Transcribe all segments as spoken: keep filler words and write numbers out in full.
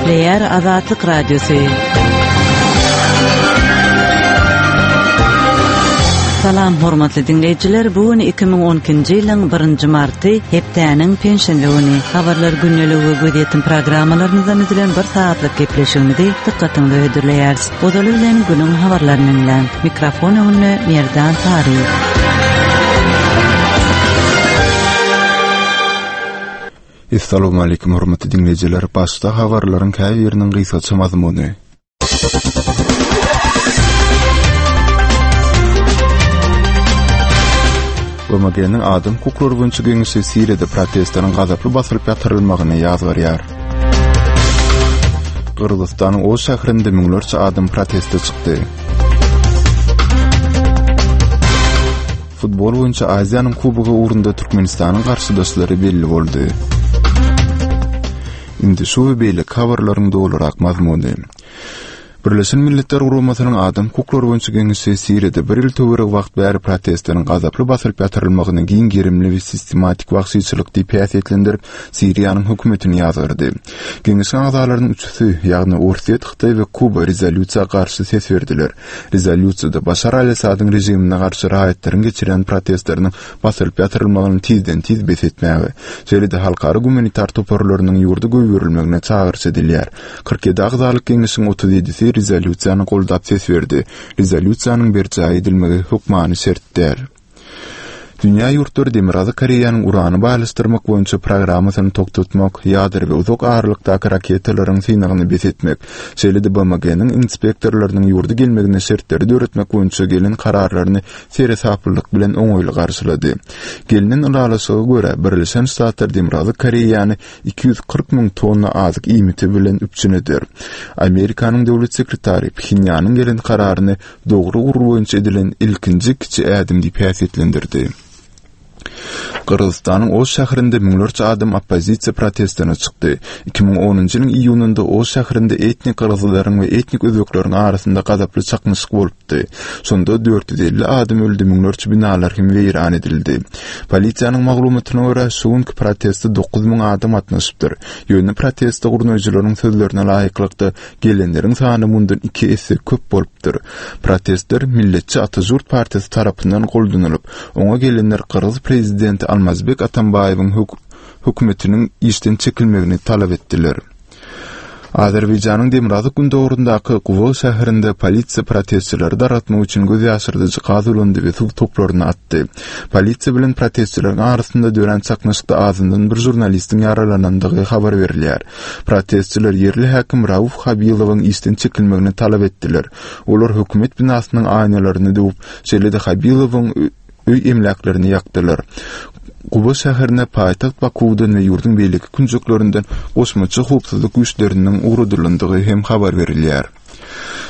Gepleýär Azatlyk Radiosy. Salam hormatly diňleýjiler, bu gün iki müň on ikinji ýylyň birinji marty, hepdäniň penşenbe güni. Habarlar gündeligi we gözýetim programmalarymyzdan düzülen bir saatlyk gepleşigimizi dykgatyňyza hödürleýäris. Ozaly bilen günüň habarlaryny diňläň. Mikrofon öňünde Merdan Saryýew. Assalamu alaykum hormatly diňleýjiler. Başda habarlaryň käbiriniň gysgaça mazmuny. B M G-niň adam hukuklary boýunça geňeşi Siriýada protestleriň gazaply basylyp ýatyrylmagyny ýazgarýar. Gyrgyzystanyň Oş şäherinde müňlerçe adam proteste çykdy. Futbol boýunça Aziýanyň kubogy ugrunda Türkmenistanyň garşydaşlary belli boldy. Indi şu we beýleki habarlaryň dolurak mazmuny. Birleşen Milletler Guramasynyň adam hukuklary boýunça geňeşi Siriýada bir ýyl töweregi wagt bäri protestleriň gazaply basylyp ýatyrylmagyny giň gerimli we sistematik wagşyçylyk diýip häsiýetlendirip, Siriýanyň hökümetini ýazgardy. Geňeşiň agzalarynyň üçüsi, ýagny Orsýet, Hytaý we Kuba rezolýusiýa garşy ses berdiler. Rezolýusiýada Başar al-Asadyň režimine garşy raýatlaryň geçirýän protestleriniň basylyp ýatyrylmagyny tizden-tiz bes etmäge, şeýle-de halkara gumanitar toparlarynyň ýurda goýberilmegine çagyryş edilýär. Kyrk ýedi agzalyk geňeşiň otuz ýedisi rezolýusiýany goldap ses berdi. Rezolýusiýanyň berjaý edilmegi hökmany şert däl. Dünýä ýurtlary Demirgazyk Koreýanyň urany baýlaşdyrmak boýunça programmasyny togtatmak, ýadro we uzak aralykdaky raketalaryň synagyny bes etmek, şeýle-de B M G-niň inspektorlarynyň ýurda gelmegine şertleri döretmek boýunça gelen kararlaryny seresaplylyk bilen oňaýly garşylady. Gelinen ylalaşyga görä, Birleşen Ştatlar Demirgazyk Koreýany iki ýüz kyrk müň tonna azyk iýmiti bilen üpjün eder. Amerikanyň döwlet sekretary Phenýanyň gelen kararyny dogry ugur boýunça edilen ilkinji kiçi ädim diýip häsiýetlendirdi. Gyrgyzystanyň Oş şäherinde müňlerçe adam oppozisiýa protestine çykdy. Iki müň onunjy ýylyň iýunynda Oş şäherinde etnik gyrgyzlaryň we etnik özbekleriň arasynda gazaply çaknyşyk bolupdy. Şonda dört ýüz elli adam öldi, müňlerçe binalar hem weýran edildi. Polisiýanyň maglumatyna görä, şu günki proteste dokuz müň adam gatnaşypdyr. Ýöne proteste gurnaýjylaryň sözlerine laýyklykda gelenleriň sany mundan iki esse köp bolupdyr. Protestler Milletçi Atajurt partiýasy tarapyndan goldanylyp, oňa gelenler Gyrgyz prezidenti Almazbek Atambaýewiň hök-, hökümetiniň işden çekilmegini talap etdiler. Azerbaýjanyň demirgazyk gündogaryndaky Guba şäherinde polisiýa protestçileri dargatmak üçin göz ýaşyrdyjy gaz ulandy we suw toplaryny atdy. Polisiýa bilen protestçileriň arasynda dörän çaknyşykda azyndan bir žurnalistiň ýaralanandygy habar berilýär. Protestçiler ýerli häkim Rauf Habilowyň işden çekilmegini talap etdiler. Olar hökümet binasynyň aýnalaryny döwüp, şeýle-de Habilowyň ö-, öý emläklerini ýakdylar. Guba şäherine paýtagt Bakuwdan we ýurduň beýleki künjeklerinden goşmaça howpsuzlyk güýçleriniň ugradylandygy hem habar berilýär.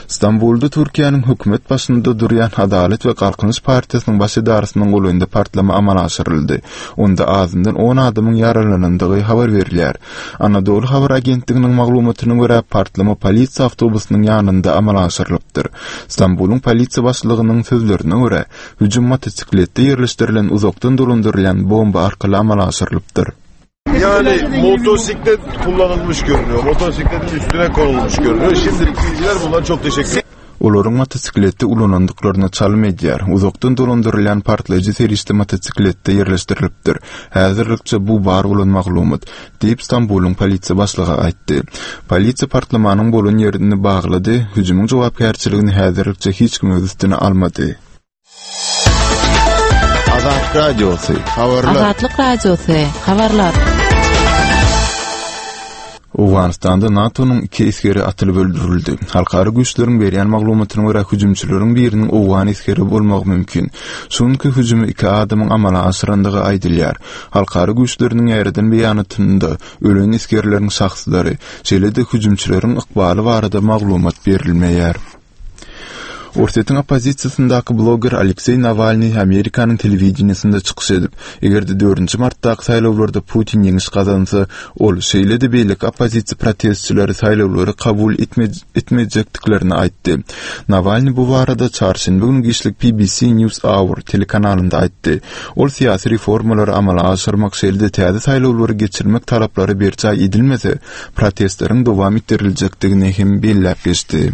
Stambulda Türkiýäniň hökümet başynda durýan Adalet we Galkynyş partiýasynyň baş edarasynyň golaýynda partlama amala aşyryldy. Onda azyndan on adamyň ýaralanandygy habar berilýär. Anadolu habar agentliginiň maglumatyna görä, partlama polisiýa awtobusynyň ýanynda amala aşyrylypdyr. Stambulyň polisiýa başlygynyň sözlerine görä, hüjüm motosikletde ýerleşdirilen uzakdan dolandyrylýan bomba arkaly amala aşyrylypdyr. Yani motosiklet kullanılmış görünüyor. Motosikletin üstüne konulmuş görünüyor. Şimdilik bilgiler bunlar, çok teşekkür ederim. Olaryň motosikletde ulanandyklaryna çalym edýär. Uzakdan dolandyrylýan partlaýjy serişde motosikletde ýerleşdirilipdir. Häzirlikçe bu bar bolan maglumat, diýip Stambulyň polisiýa başlygy aýtdy. Polisiýa partlamanyň bolan ýerini baglady, hüjümiň jogapkärçiligini häzirlikçe hiç kim öz üstüne almady. Azatlyk Radiosy, habarlar. Azatlyk Radiosy, habarlar. Owganystanda NATO-nyň iki esgeri atylyp öldürildi. Halkara güýçleriň berýän maglumatyna görä hüjümçileriň biriniň owgan esgeri bolmagy mümkin. Şu günki hüjümi iki adamyň amala aşyrandygy aýdylýar. Halkara güýçleriniň ýaýradan beýanatynda ölen esgerleriň şahslary, şeýle-de hüjümçileriň ykbaly barada maglumat berilmeýär. Orsýetiň oppozisiýasyndaky bloger Alekseý Nawalnyý Amerikanyň telewideniýesinde çykyş edip, eger-de dördünji martdaky saýlawlarda Putin ýeňiş gazansa, ol, şeýle-de beýleki oppozisiýa protestçileri saýlawlary kabul etmejekdiklerini aýtdy. Nawalnyý bu barada çarşenbe güni giçlik P B C News Hour telekanalynda aýtdy. Ol syýasy reformalary amala aşyrmak, şeýle-de täze saýlawlary geçirmek talaplary berjaý edilmese, protestleriň dowam etdiriljekdigini hem belläp geçdi.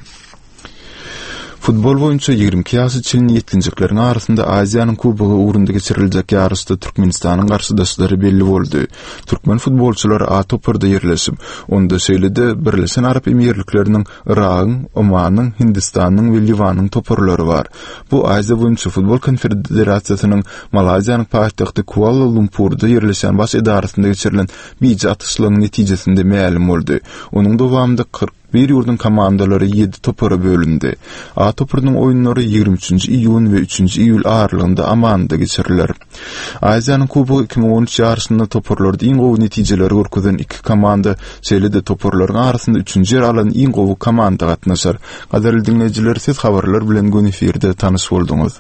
Futbol boýunça ýigrimi iki ýaşa çenli ýetginjekleriň arasynda Aziýanyň Kubogy ugrunda geçiriljek ýaryşda Türkmenistanyň garşydaşlary belli boldy. Türkmen futbolçylary A toparda ýerleşip, onda şeýle-de Birleşen Arap Emirlikleriniň, Yragyň, Omanyň, Hindistanyň we Liwanyň toparlary bar. Bu Aziýa boýunça futbol konfederasiýasynyň Malaýziýanyň paýtagty Kuala-Lumpurda ýerleşýän baş edarasynda geçirilen bije atyşlygyň netijesinde mälim boldy. Onuň dowamynda kyrk bir ýurduň komandalary ýedi topara bölündi. A toparynyň oýunlary ýigrimi üçünji iýun we üçünji iýul aralygynda Amanda geçiriler. Aziýanyň Kubogy iki müň on üç ýaryşynda toparlarda iň gowy netijeleri görkezen iki komanda, şeýle-de toparlaryň arasynda üçünji ýer alan iň gowy komanda gatnaşar. Gadyrly diňleýjiler, siz habarlar bilen göni efirde tanyş bolduňyz.